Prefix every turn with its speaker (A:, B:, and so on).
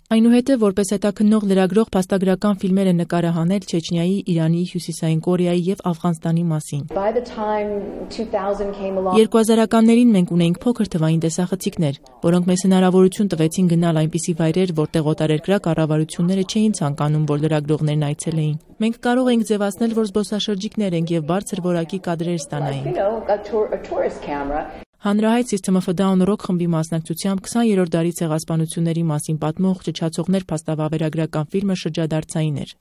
A: Այնուհետև որպես հետաքննող լրագրող փաստագրական ֆիլմեր է նկարահանել Չեչնիայի, Իրանի, Հյուսիսային Կորեայի և Աֆղանստանի մասին։ 2000-ականներին մենք ունեինք փոքր թվային տեսախցիկներ, որոնք մեզ հնարավորություն տվեցին գնալ այնպիսի վայրեր, որտեղ օտարերկրյա կառավարությունները չէին ցանկանում, որ լրագրողներն այցելեին։ Մենք կարող էինք ձևացնել, որ զբոսաշրջիկներ ենք և բարձր որակի կադրեր ստանայինք։ Հանրահայտ System of a Down ռոք խմբի մասնակցությամբ 20-րդ դարի ցեղասպանությունների մասին պատմող «Ճչացողներ» փաստավավերագրական ֆիլմը շրջադարձային էր։